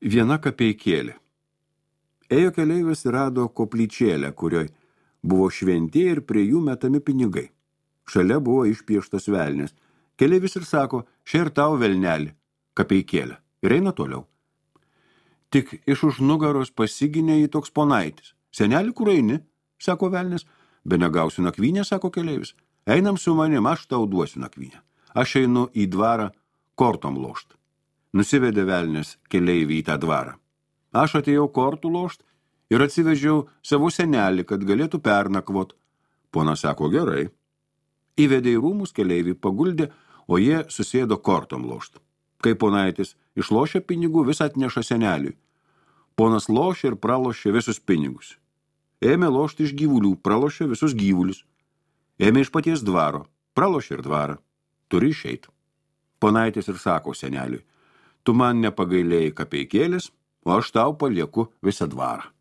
Viena kapeikėlė. Ėjo keleivis ir rado koplyčėlę, kurioj buvo šventieji ir prie jų metami pinigai. Šalia buvo išpieštas velnis. Keleivis ir sako, šia ir tau velnelį, kapeikėlę. Ir eina toliau. Tik iš už nugaros pasiginė į toks ponaitis. Seneli, kur eini? Sako velnis. Be negausiu nakvynę, sako keleivis. Einam su manim, aš tau duosiu nakvynę. Aš einu į dvarą kortom lošt. Nusivedė velnis keleivį į tą dvarą. Aš atėjau kortų lošt ir atsivežiau savo senelį, kad galėtų pernakvot. Ponas sako, gerai. Įvedė į rūmus keleivį, paguldė, o jie susėdo kortom lošt. Kai ponaitis išlošė pinigų, vis atneša seneliui. Ponas lošė ir pralošė visus pinigus. Ėmė lošti iš gyvulių, pralošė visus gyvulius. Ėmė iš paties dvaro, pralošė ir dvarą. Turi išeit. Ponaitis ir sako seneliui, tu man nepagailėjai kapeikėlės, o aš tau palieku visą dvarą.